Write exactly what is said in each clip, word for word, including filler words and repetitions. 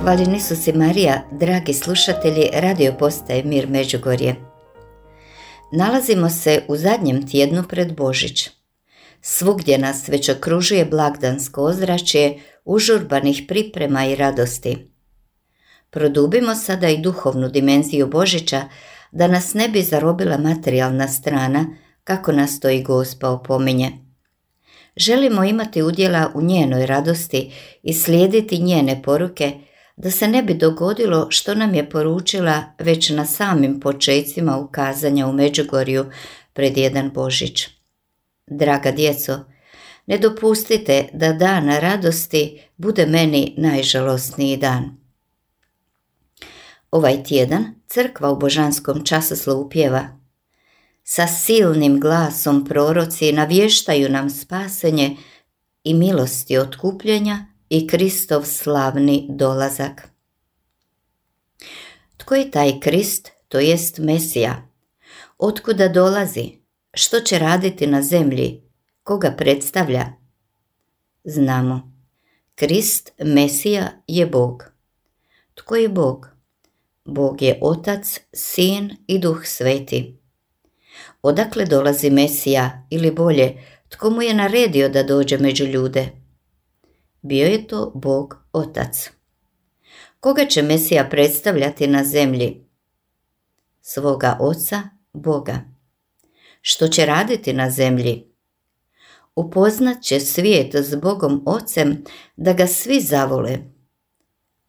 Hvaljen Isus i Marija, dragi slušatelji radio postaje Mir Međugorje. Nalazimo se u zadnjem tjednu pred Božić. Svugdje nas već okružuje blagdansko ozračje užurbanih priprema i radosti. Produbimo sada i duhovnu dimenziju Božića, da nas ne bi zarobila materijalna strana, kako nas to i Gospa opominje. Želimo imati udjela u njenoj radosti i slijediti njene poruke, da se ne bi dogodilo što nam je poručila već na samim počecima ukazanja u Međugorju pred jedan Božić. Draga djeco, ne dopustite da dan radosti bude meni najžalosniji dan. Ovaj tjedan crkva u božanskom časoslovu pjeva: sa silnim glasom proroci navještaju nam spasenje i milosti otkupljenja i Kristov slavni dolazak. Tko je taj Krist, to jest Mesija? Otkuda dolazi? Što će raditi na zemlji? Koga predstavlja? Znamo. Krist, Mesija, je Bog. Tko je Bog? Bog je Otac, Sin i Duh Sveti. Odakle dolazi Mesija, ili bolje, tko mu je naredio da dođe među ljude? Bio je to Bog Otac. Koga će Mesija predstavljati na zemlji? Svoga Oca, Boga. Što će raditi na zemlji? Upoznat će svijet s Bogom Ocem, da ga svi zavole.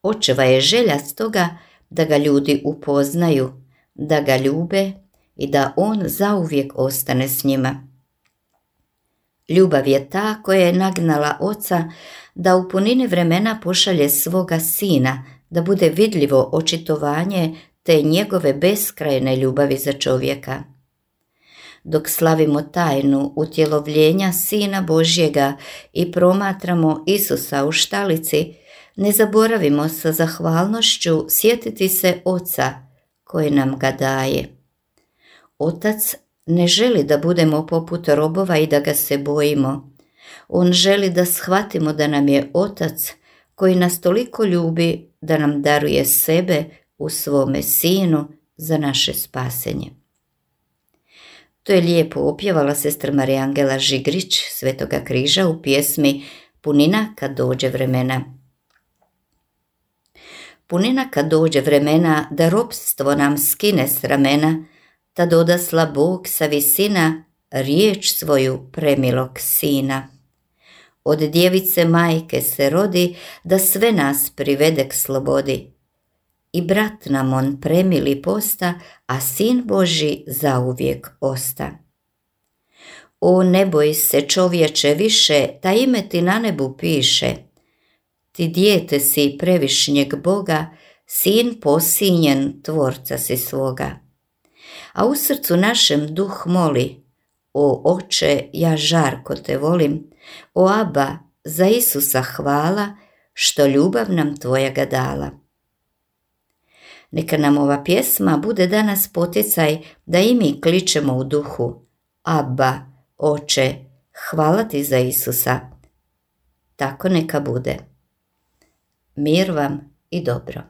Očeva je želja stoga da ga ljudi upoznaju, da ga ljube i da on zauvijek ostane s njima. Ljubav je ta koja je nagnala Oca da u punini vremena pošalje svoga Sina, da bude vidljivo očitovanje te njegove beskrajne ljubavi za čovjeka. Dok slavimo tajnu utjelovljenja Sina Božjega i promatramo Isusa u štalici, ne zaboravimo sa zahvalnošću sjetiti se Oca koji nam ga daje. Otac ne želi da budemo poput robova i da ga se bojimo. On želi da shvatimo da nam je Otac koji nas toliko ljubi da nam daruje sebe u svome Sinu za naše spasenje. To je lijepo opjevala sestra Marija Angela Žigrić Svetoga križa u pjesmi Punina kad dođe vremena. Punina kad dođe vremena da ropstvo nam skine s ramena, tad odasla Bog sa visina riječ svoju premilog Sina. Od djevice majke se rodi da sve nas privede k slobodi. I brat nam on premili posta, a Sin Božji zauvijek osta. O, ne boj se čovječe više, ta ime ti na nebu piše. Ti dijete si previšnjeg Boga, sin posinjen tvorca si svoga. A u srcu našem duh moli: o oče, ja žarko te volim, o Aba, za Isusa hvala, što ljubav nam tvoja ga dala. Neka nam ova pjesma bude danas poticaj da i mi kličemo u duhu: Aba, oče, hvala ti za Isusa. Tako neka bude. Mir vam i dobro.